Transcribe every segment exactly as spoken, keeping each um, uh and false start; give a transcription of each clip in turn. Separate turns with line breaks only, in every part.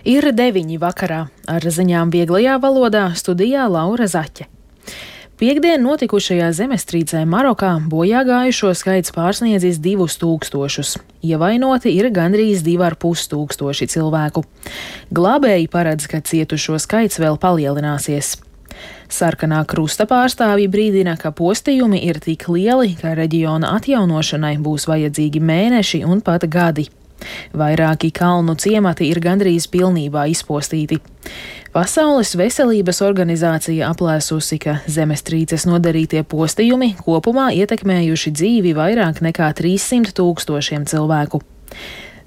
Ir deviņi vakarā. Ar ziņām vieglajā valodā studijā Laura Zaķe. Piektdien notikušajā zemestrīcē Marokā bojā gājušo skaits pārsniedzis divus tūkstošus. Ievainoti ir gandrīz divi ar pus tūkstoši cilvēku. Glābēji paredz, ka cietušo skaits vēl palielināsies. Sarkanā krusta pārstāvji brīdina, ka postījumi ir tik lieli, ka reģiona atjaunošanai būs vajadzīgi mēneši un pat gadi. Vairāki kalnu ciemati ir gandrīz pilnībā izpostīti. Pasaules veselības organizācija aplēsusi, ka zemestrīces nodarītie postījumi kopumā ietekmējuši dzīvi vairāk nekā trīssimt tūkstošiem cilvēku.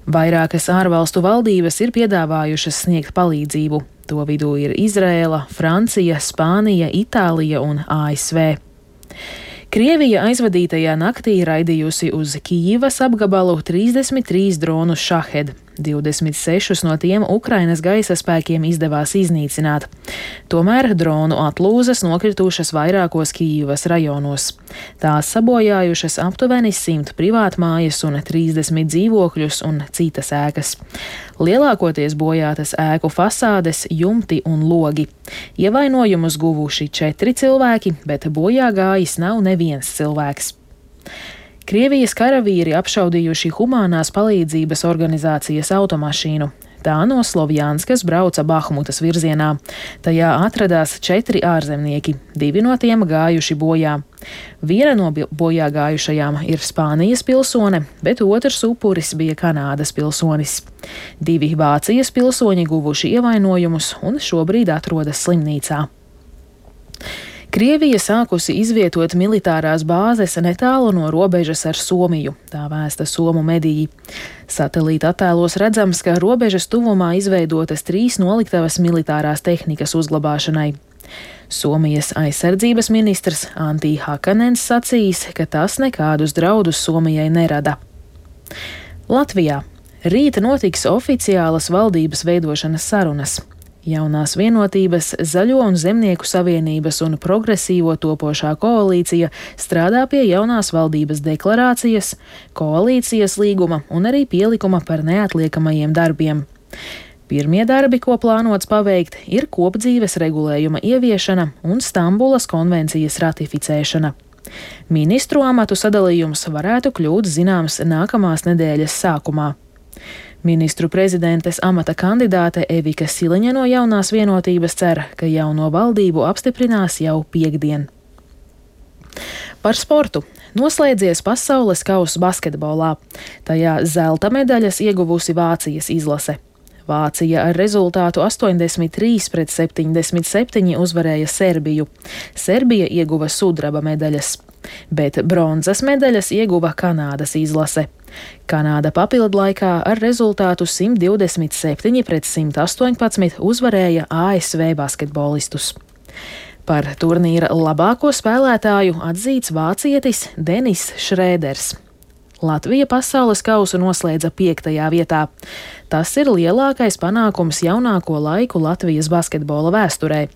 Vairākas ārvalstu valdības ir piedāvājušas sniegt palīdzību. To vidū ir Izraēla, Francija, Spānija, Itālija un A S V. Krievija aizvadītajā naktī raidījusi uz Kijivas apgabalu trīsdesmit trīs dronus Šahed. divdesmit sešus no tiem Ukrainas gaisa spēkiem izdevās iznīcināt. Tomēr dronu atlūzas nokritušas vairākos Kijivas rajonos. Tās sabojājušas aptuveni simt privātmājas un trīsdesmit dzīvokļus un citas ēkas. Lielākoties bojātas ēku fasādes, jumti un logi. Ievainojumus guvuši četri cilvēki, bet bojā gājis nav neviens cilvēks. Krievijas karavīri apšaudījuši humanās palīdzības organizācijas automašīnu. Tā no Slovjanskas brauca Bahmutas virzienā. Tajā atradās četri ārzemnieki, divi no tiem gājuši bojā. Viena no bojā gājušajām ir Spānijas pilsone, bet otrs upuris bija Kanādas pilsonis. Divi Vācijas pilsoņi guvuši ievainojumus un šobrīd atrodas slimnīcā. Krievija sākusi izvietot militārās bāzes netālu no robežas ar Somiju, tā vēsta somu mediji. Satelīta attēlos redzams, ka robežas tuvumā izveidotas trīs noliktavas militārās tehnikas uzglabāšanai. Somijas aizsardzības ministrs Antti Hakanens sacījis, ka tas nekādus draudus Somijai nerada. Latvijā rīt notiks oficiālas valdības veidošanas sarunas. Jaunās vienotības, Zaļo un Zemnieku savienības un progresīvo topošā koalīcija strādā pie jaunās valdības deklarācijas, koalīcijas līguma un arī pielikuma par neatliekamajiem darbiem. Pirmie darbi, ko plānots paveikt, ir kopdzīves regulējuma ieviešana un Stambulas konvencijas ratificēšana. Ministru amatu sadalījums varētu kļūt zināms nākamās nedēļas sākumā. Ministru prezidentes amata kandidāte Evika Siliņa no Jaunās vienotības cer, ka jauno valdību apstiprinās jau piektdien. Par sportu. Noslēdzies pasaules kauss basketbolā. Tajā zelta medaļas ieguvusi Vācijas izlase. Vācija ar rezultātu astoņdesmit trīs pret septiņdesmit septiņi uzvarēja Serbiju. Serbija ieguva sudraba medaļas, bet bronzas medaļas ieguva Kanādas izlase. Kanāda papildlaikā ar rezultātu simt divdesmit septiņi pret simt astoņpadsmit uzvarēja A S V basketbolistus. Par turnīra labāko spēlētāju atzīts vācietis Denis Šrēders. Latvija pasaules kausu noslēdza piektajā vietā. Tas ir lielākais panākums jaunāko laiku Latvijas basketbola vēsturē.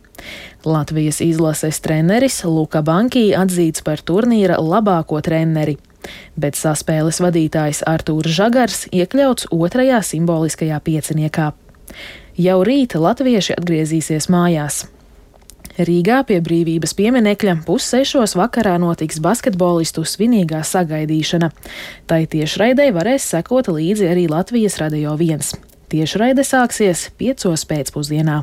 Latvijas izlases treneris Luka Bankī atzīts par turnīra labāko treneri, bet saspēles vadītājs Artūrs Žagars iekļauts otrajā simboliskajā pieciniekā. Jau rīt latvieši atgriezīsies mājās. Rīgā pie Brīvības pieminekļa pussešos vakarā notiks basketbolistu svinīgā sagaidīšana. Tai tiešraidei varēs sekot līdzi arī Latvijas Radio viens. Tiešraide sāksies piecos pēcpusdienā.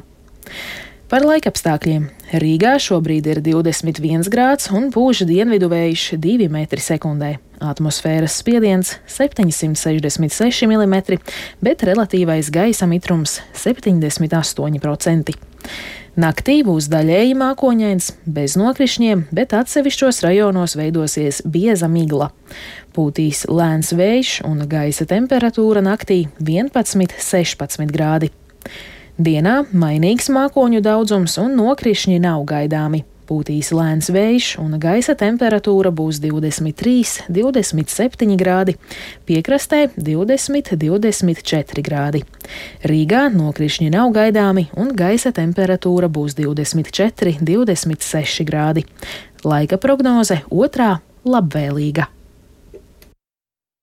Par laikapstākļiem. Rīgā šobrīd ir divdesmit viens grāds un pūš dienvidu vējš divi metri sekundē. Atmosfēras spiediens septiņsimt sešdesmit seši milimetri, bet relatīvais gaisa mitrums septiņdesmit astoņi procenti. Naktī būs daļēji mākoņains, bez nokrišņiem, bet atsevišķos rajonos veidosies bieza migla. Pūtīs lēns vējš un gaisa temperatūra naktī vienpadsmit sešpadsmit grādi. Dienā mainīgs mākoņu daudzums un nokrišņi nav gaidāmi. Pūtīs lēns vējš un gaisa temperatūra būs divdesmit trīs, divdesmit septiņi grādi, piekrastē divdesmit, divdesmit četri grādi. Rīgā nokrišņi nav gaidāmi un gaisa temperatūra būs divdesmit četri, divdesmit seši grādi. Laika prognoze otrā labvēlīga.